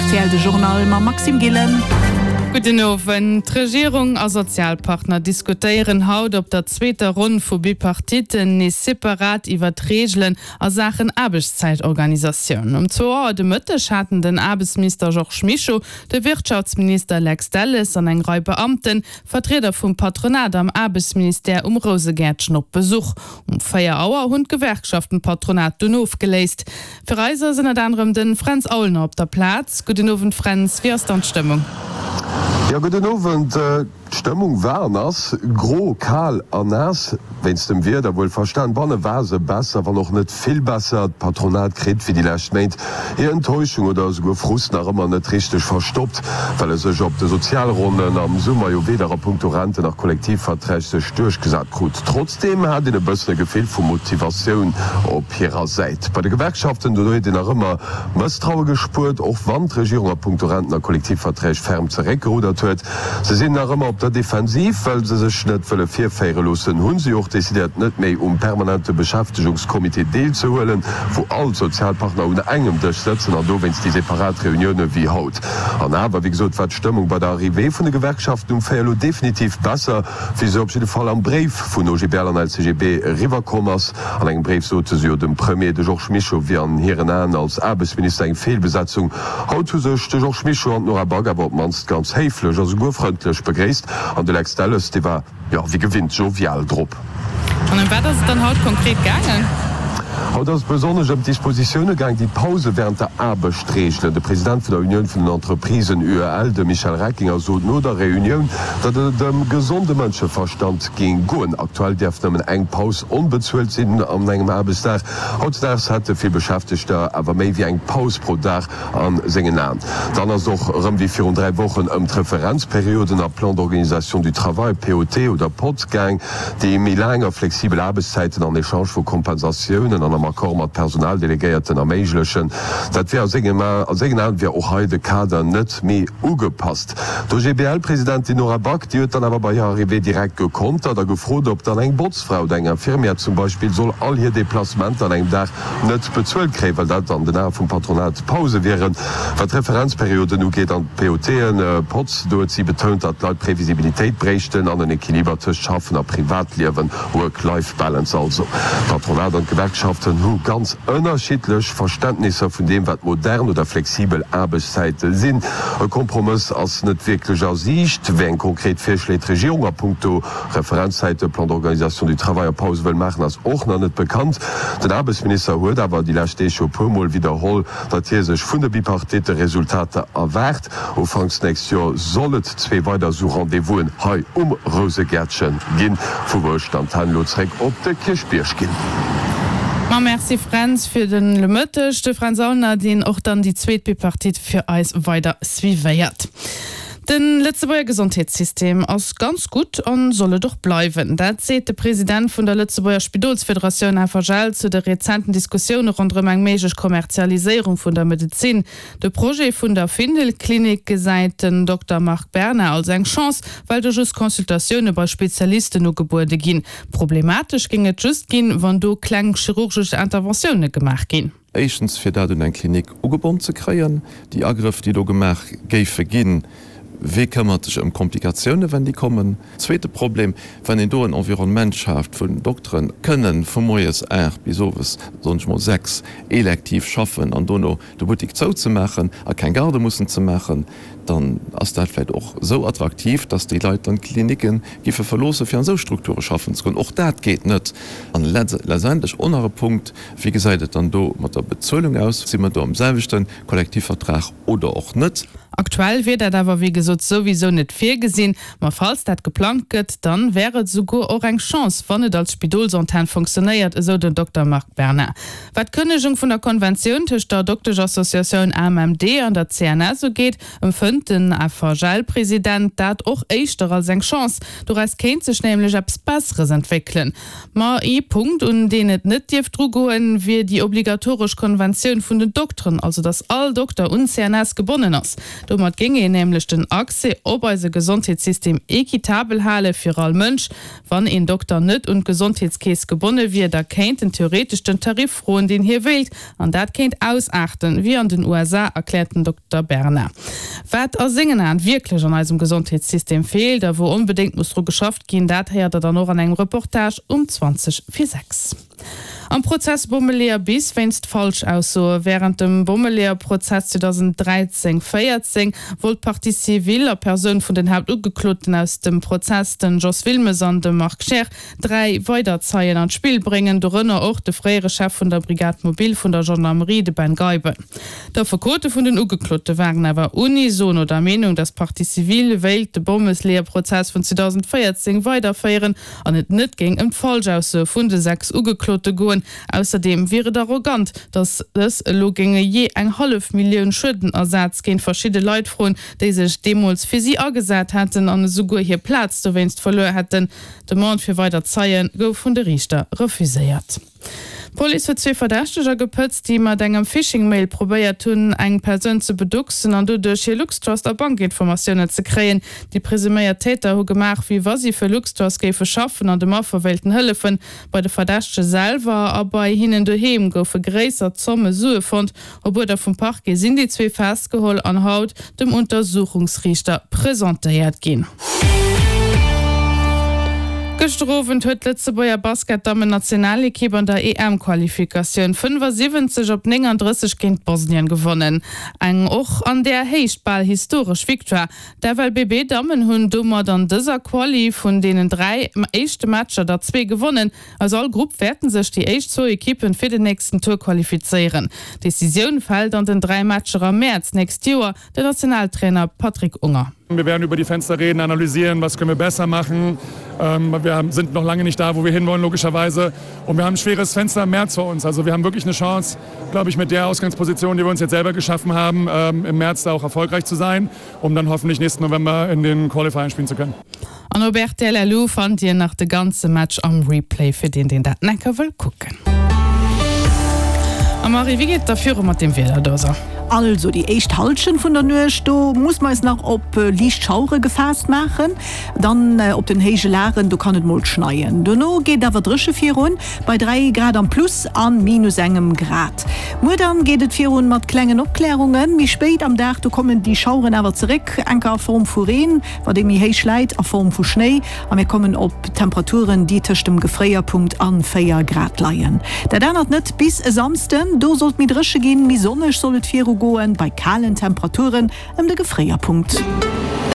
rtl de Journal mam Maxime Gillen. Gudden Owend. D'Regierung a Sozialpartner diskutéieren haut op der zweeter Ronn vu Bipartitten nees separat iwwer d'Reegelen a Saachen Aarbechtszäitorganisatioun. Um zwou Auer de Mëtteg haten den Aarbechtsminister Georges Mischo, de Wirtschaftsminister Lex Delles an eng Rei Beamten Vertrieder vum Patronat am Aarbechtsministère um Rousegäertchen op Besuch. Um 4 Auer hunn d'Gewerkschaften d'Patronat dunn ofgeléist. Fir eis ass ënnert anerem de Fränz Aulner op der Plaz. Gudden Owend Fränz, wéi ass dann d'Stëmmung? Jo, gudden Owend. D'Stëmmung war an ass gro, kal a naass. Wéinst dem Wieder wuel verstan. Banne war se besser, wann och net vill besser. D'Patronat kritt, wéi déi lescht Méint, hir Enttäuschung oder esouguer Frust nach ëmmer net richteg verstoppt, well e sech op de Sozialronnen am Summer jo weder a punkto Renten nach Kollektivverträg sech duerchgesat krut. Trotzdeem hat een e bëssen e Gefill vu Motivatioun op hirer Säit. Bei de Gewerkschaften, do huet een nach ëmmer Mësstraue gespuert, och wann d'Regierung a punkto Renten a Kollektivverträg ferm zeréckgeruddert huet. Se sinn nach ëmmer op der Defensiv, well se sech net wëlle virféiere loossen. Hu se jo och decidéiert, net méi um permanente Beschäftegungscomité deelzehuelen, wou all d'Sozialpartner un engem Dësch sëtzen an dowéinst déi separat Reunioune wéi haut. An awer, wéi gesot, war d'Stëmmung bei der Arrivée vun de Gewerkschaften um 4 elo definitiv besser, wéi se op jidde Fall am Bréif vun OGBL an LCGB eriwwerkomm ass. An engem Bréif sote se jo dem Premier, de Georges Mischo wier an hiren Aen als Aarbechtsminister eng Feelbesetzung. Haut hu sech de Georges Mischo an d'Nora Back awer op d'mannst ganz héiflech a souguer frëndlech begréisst an de Lex Delles, dee war, jo, wéi gewinnt jovial drop. An ëm wat ass et dann haut konkret gaangen? Haut ass et besonnesch ëm d'Dispositioune gaang, déi d'Pause wärend der Aarbecht reegelen. De President vun der Unioun vun den Entreprisen, UEL, de Michel Reckinger, sot no der Reunioun, datt et ëm gesonde Mënscheverstand géing goen. Aktuell däerf nëmmen eng Paus onbezuelt sinn an engem Aarbechtsdag. Hautdesdaags hätte vill Beschäftegter awer méi wéi eng Paus pro Dag a sengen Aen. Dann ass et och erëm wéi virun 3 Wochen ëm d'Referenzperioden a Plan d'organisation du travail, POT oder pot, gaang, déi méi laang a flexibel Aarbechtszäiten en Echange vu Kompensatiounen an am Accord mat Personaldelegéierten erméiglechen. Dat wier a sengen Aen wier och hei de Kader net méi ugepasst. D'OGBL-Presidentin Nora Back, déi huet dann awer bei hirer Arrivée direkt gekontert a gefrot, ob dann eng Botzfra oder eng Infirmière zum Beispill soll all hir Deplacementer an engem Dag net bezuelt kréien, well dat an den Ae vum Patronat Pause wieren. Wat d'Referenzperioden ugeet an d'POTen, Pots, do huet si betount, datt d'Leit Previsibilitéit bréichten an en Equiliber tëscht Schaffen a Privatliewen, Work-Life-Balance also. D'Patronat an d'Gewerkschaften hu ganz ënnerschiddlech Verständnisser vun deem, wat modern oder flexibel Aarbechtszäite sinn. E Kompromëss ass net wierklech a Siicht. Wéi eng konkret Virschléi d'Regierung a punkto Referenzzäite, Plan d'organisation du travail a Pause wëll maachen, ass och nach net bekannt. Den Aarbechtsminister huet awer déi lescht Deeg jo e puer Mol widderholl, datt hie sech vun de Bipartite Resultater erwaart. Ufanks nächst Joer soll et zwee weider esou Rendez-vousen hei um Rousegäertche ginn, vu wou ech d'Antenn elo zréck op de Kierchbierg ginn. Ma merci Fränz fir de Mëtteg. De Fränz Aulner, deen och dann déi zweet Bipartite fir eis weider suivéiert. De Lëtzebuerger Gesondheetssystem ass ganz gutt an soll et och bleiwen. Dat seet de President vun der Lëtzebuerger Spidolsfederatioun FHL zu de rezenten Diskussioune ronderëm eng méiglech Kommerzialiséierung vun der Medezin. De Projet vun der Findel-Klinik gesäit den Dokter Marc Berna als eng Chance, well do just Consultatioune bei Spezialisten ugebuede ginn. Problematesch géing et just ginn, wann do kleng chirurgesch Interventioune gemaach ginn. Éischtens, fir dat un eng Klinik ugebonn ze kréien, déi Agrëff, déi do gemaach géife ginn, wee këmmert sech ëm Komplikatiounen, wenn déi kommen? Zweete Problem, wann een do en Environnement schaaft, wou Dokteren kënnen vu moies 8 bis owes, soen ech mol, 6 elektiv schaffen an dono de Buttik zouzemaachen a keng Garde mussen ze maachen, dann ass dat vläicht och esou attraktiv, dass déi Leit dann d'Klinikke giffe verloossen, fir an esou Strukture schaffen ze goen. Och dat geet net. An letztendlech och nach e Punkt, Wéi gesäit et dann do mat der Bezuelung aus? Si mer do am selwechte Kollektivvertrag oder och net? Aktuell wier dat awer wéi gesot souwisou net virgesinn. Ma falls dat geplangt gëtt, dann wär et esouguer och eng Chance, wann et als Spidolsantenn fonctionnéiert, esou den Dokter Marc Berna. Wat d'Kënnegung vun der Konventioun tëscht der Dokteschassociatioun AMMD an der CNS ugeet, empfënnt den FHL-President dat och éischter als eng Chance. Doraus kéint sech nämlech eppes Besseres entwéckelen. Ma ee Punkt, un deen et net dierft drugoen, wier déi obligatoresch Konventioun vun den Dokteren, also datt all Dokter un d'CNS gebonnen ass. Domat géing een nämlech den Accès op eise Gesondheetssystem equitabel hale fir all Mënsch. Wann een Dokter net un d'Gesondheetskeess gebonne wier, da kéint en theoretesch den Tarif froen, deen hie wéilt. An dat kéint ausaarten, wéi an den USA, erkläert den Dokter Berna. Wat a sengen Aen wierklech an eisem Gesondheetssystem feelt a wou onbedéngt muss dru geschafft ginn, dat héiert der dann och an engem Reportage um 20 vir 6. Am Prozess Bommeleeër bis wéinst Falschaussoe wärend dem Bommeleeër-Prozess 2013, 14 wollt d'Partie civile a Persoun vun den Haaptugekloten aus dem Prozess, den Jos Wilmes an de Marc Scheer, 3 weider Zeien an d'Spill bréngen, dorënner och de fréiere Chef vun der Brigade mobile vun der Gendarmerie, de Ben Geiben. D'Affekote vun den Ugeklote waren awer unisono der Meenung, datt d'Partie civile wéilt de Bommeleeër-Prozess vun 2014 weiderféieren an et net géing ëm d'Falschaussoe vun de 6 Ugeklote goen. Ausserdeem wier et arrogant, datt dës elo géinge jee eng hallef Millioun Schuedenersaz géint verschidde Leit froen, déi sech deemools fir si agesat hätten an esouguer hir Plaz dowéinst verluer hätten. D'Demande fir weider Zeie gouf vun de Riichter refuséiert. D'Police huet zwee Verdächteger gepëtzt, déi mat engem Phishing-Mail probéiert hunn, eng Persoun ze beducksen an doduerch hir Luxtrust a Bankinformatiounen ze kréien. Déi presuméiert Täter hu gemaach, wéi wa si fir Luxtrust géife schaffen an dem Affer wéilten hëllefen. Bei de Verdächtege selwer a bei hinnen doheem goufe gréisser Zomme Sue fonnt. Op Uerder vum Parquet sinn déi zwee festgeholl an haut dem Untersuchungsriichter presentéiert ginn. Gëschter Owend huet d'Lëtzebuerger Basket-Dammen-Nationalekipp an der EM-Qualifikatioun 75 op 39 géint Bosnien gewonnen. Eng och an där Héicht bal historesch Victoire. D'FLBB-Dammen hunn domat an dëser Quali vun deenen 3 éischte Matcher der zwee gewonnen. Aus all Grupp wäerten sech déi éischt zwou Ekippen fir den nächsten Tour qualifizéieren. D'Decisioun fält an den 3 Matcher am Mäerz nächst Joer. Den Nationaltrainer Patrick Unger. Wir werden über die Fenster reden, analysieren, was können wir besser machen. Wir sind noch lange nicht da, wo wir hinwollen logischerweise. Und wir haben ein schweres Fenster im März vor uns. Also wir haben wirklich eine Chance, glaube ich, mit der Ausgangsposition, die wir uns jetzt selber geschaffen haben, im März da auch erfolgreich zu sein, um dann hoffentlich nächsten November in den Qualifiern spielen zu können. An op rtl LU fannt dir nach de ganze Match am Replay fir deen deen dat enker wëll kucken. A Marie, wéi geet et da viru mat dem Wieder do sou? Also déi éischt Hallschent vun der Nuecht, do muss mer eis nach op liicht Schauere gefaasst maachen. Dann op den héije Lagen, do kann et mol schneien. Dono geet et awer dréche virun, bei 3 Grad am Plus an minus engem Grad. Muer dann geet et virun mat klengen Opklärungen. Méi spéit am Dag, do kommen déi Schaueren awer zeréck, enker a Form vu Reen, wat ee méi héich läit, a Form vu Schnéi, a mir kommen op Temperaturen, déi tëscht dem Gefréierpunkt an 4 Grad leien. Dat ännert net bis e Samsden, do soll et méi dréche ginn, méi sonneg soll et virugoen, bei kalen Temperaturen ëm de Gefréierpunkt.